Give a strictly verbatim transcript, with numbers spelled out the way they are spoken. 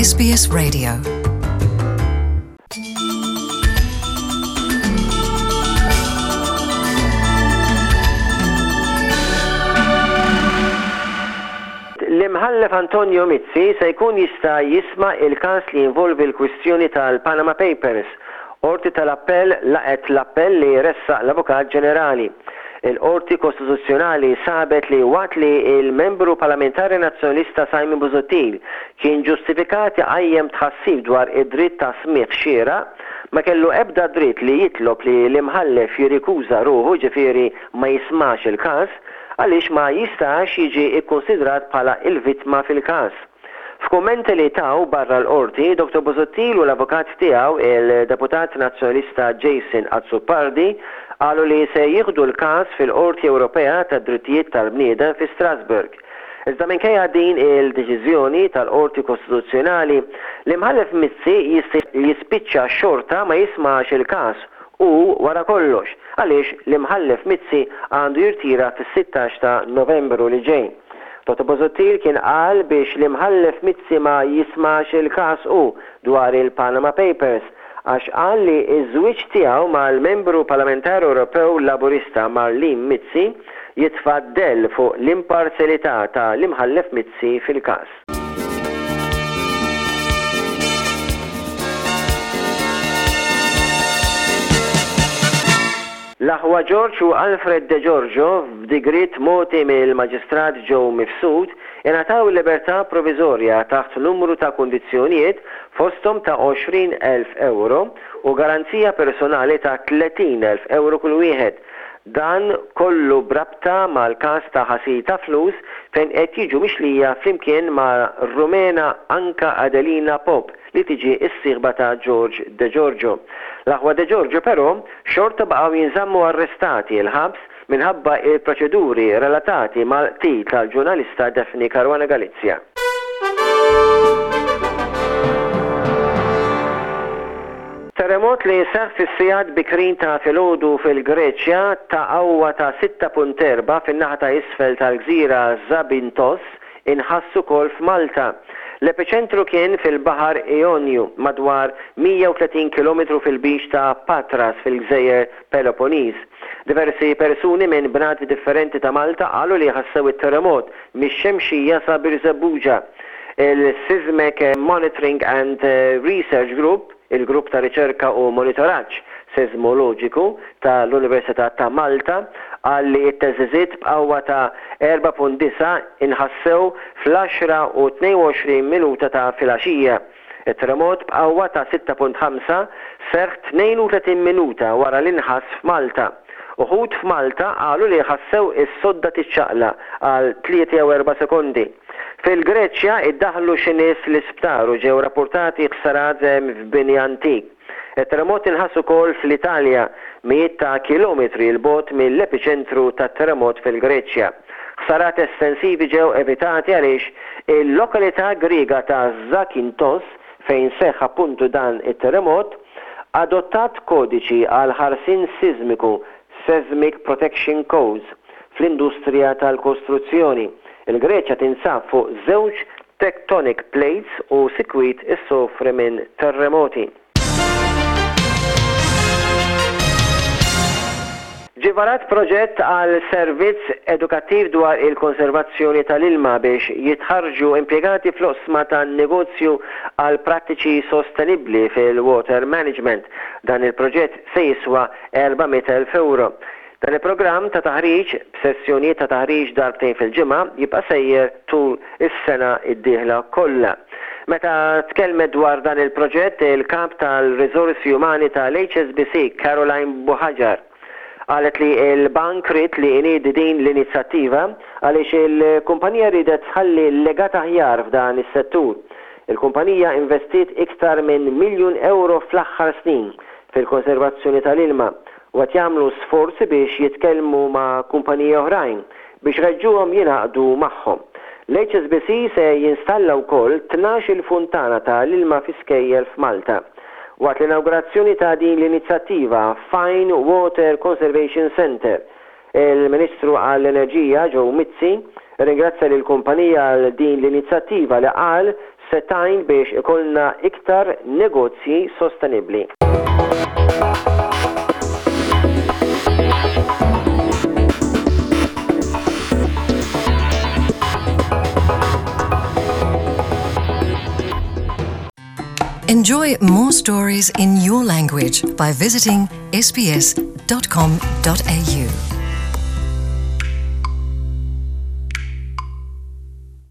S B S Radio. L-Imħallef Antonio Mizzi se jkun jista' jisma' il-każ li jinvolvi l-kwistjoni tal-Panama Papers. Qorti tal-Appell laqgħet l-appell li ressaq l-Avukat Ġenerali. Il-Qorti Kostituzzjonali sabet li waqt li il-membru parlamentari nazzjonalista Simon Busuttil kien ġustifikat iqajjem tħassib dwar id-dritt ta' smigħ xieraq, ma kellu ebda dritt li jitlob li l-imħallef jirrikuża ruħu, ġifieri ma jismax il-każ, għaliex ma jistax jiġi ikkonsidrat bħala il-vittma fil-każ. F'kummenti li taw barra l-qorti, Doktor Busuttil u l-avukat tiegħu, il-deputat nazzjonalista Jason Azzopardi, qalu li se jieħdu l-każ fil-Qorti Ewropea tad-Drittijiet tal-Bniedem fi Strasburg. Iżda minkejja din il-deċiżjoni tal-Qorti Kostituzzjonali, l-Imħallef Mizzi jista' jispiċċa xorta ma jismax il-każ u wara kollox, għaliex l-Imħallef Mizzi għandu jirtira fis-sittax ta' Novembru li ġej. Doktor Busuttil kien qal biex l-Imħallef Mizzi ma jismax il-każ u dwar il-Panama Papers, għax qal li iż-żwieġ tiegħu mal-membru parlamentari Ewropew Laburista Marlene Mizzi jitfa' dell fuq l-imparzjalità ta' l-Imħallef Mizzi fil-każ. L-aħwa George u Alfred De Giorgio, f'digriet mogħti mill-Maġistrat Joe Mifsud, ingħataw il-libertà provviżorja taħt numru ta' kundizzjonijiet, fosthom ta' għoxrin elf euro u garanzija personali ta' tletin elf euro kull wieħed. Dan kollu b'rabta mal-każ ta' ħasil ta' flus fejn qed jiġu mixlija flimkien ma' Rumena Anka Adelina Pop, li tiġi s-sieħba ta' George De Giorgio. L-aħwa De Giorgio però xorta baqgħu jinżammu arrestati l-ħabs minħabba il-proċeduri relatati mal-qtil tal-ġurnalista Daphne Caruana Galizia. Terremot li seħ fis-sigħat bikrin ta' filgħodu fil-Greċja ta' qawwa ta' sitta punt erbgħa fin-naħa ta' isfel tal-gżira Zakynthos inħassu ukoll f'Malta. L-epiċentru kien fil-Baħar Ionju, madwar mija u tletin kilometru fil-Lbiċ ta' Patras fil-Gżejjer Peloponnese. Diversi persuni minn bnadi differenti ta' Malta qalu li ħassew it-terremot mix-Xemxija sa Birżebbuġa. Il-Seismic Monitoring and Research Group, il-grupp ta' riċerka u monitoraġġ seismoloġiku tal-Università ta' Malta, qal li t-theżżiżiet b'qawwa ta' erbgħa punt disgħa inħassew fl-għaxra u tnejn u għoxrin minuta ta' filgħaxija. Il-terremot b'qawwa ta' sitta punt ħamsa seħħ tnejn u tletin minuta wara l-inħass f'Malta. Uħud f'Malta qalu li ħassew is-sodda tiċċaqlaq għal tlieta jew erba' sekondi. Fil-Greċja iddaħlu xi nies l-isptar u ġew rapportati ħsarat f'bini antik. Il-terremot inħass ukoll fl-Italja, mijiet ta' kilometri 'l bogħod mill-epiċentru tat-terremot fil-Greċja. Ħsarat estensivi ġew evitati għaliex il-lokalità Griega ta' Zakynthos, fejn seħħ appuntu dan it-terremot, adottat kodiċi għal ħarsien sismiku, Seismic Protection Codes, fl-industrija tal-kostruzzjoni. Il-Greċja tinsab fuq żewġ tectonic plates u sikwit issofri minn terremoti. Ġie varat proġett għal servizz edukattiv dwar il-konservazzjoni tal-ilma biex jitħarġu impjegati fl-oqsma tan-negozju għal prattiċi sostenibli fil-water management. Dan il-proġett se jiswa erba' mitt elf euro. Dan il-programm ta' taħriġ b'sessjonijiet ta' taħriġ darbtejn fil-ġimgħa jibqa' sejjer tul is-sena id-dieħla kollha. Meta tkellmet dwar dan il-proġett, il-kap tal-Riżorsi Umani tal-H S B C, Caroline Buhagiar, qalet li il-bank ried li jniedi din l-inizjattiva għaliex il-kumpanija ridet tħalli legat aħjar f'dan is-settur. Il-kumpanija investiet iktar minn miljun euro fl-aħħar snin fil-konservazzjoni tal-ilma u qed jagħmlu sforzi biex jitkellmu ma' kumpaniji oħrajn biex iħeġġuhom jingħaqdu magħhom. L-H S B C se jinstalla wkoll tnax il-funtana tal-ilma fi skejjel f'Malta. Waqt l-inaugurazzjoni ta' din l-inizjattiva Fine Water Conservation Center, il-Ministru għall-Enerġija Joe Mizzi ringrazzja lill kumpanija għal din l-inizjattiva li qal se se tgħin biex ikollna iktar negozji sostenibbli. Enjoy more stories in your language by visiting S B S dot com dot A U.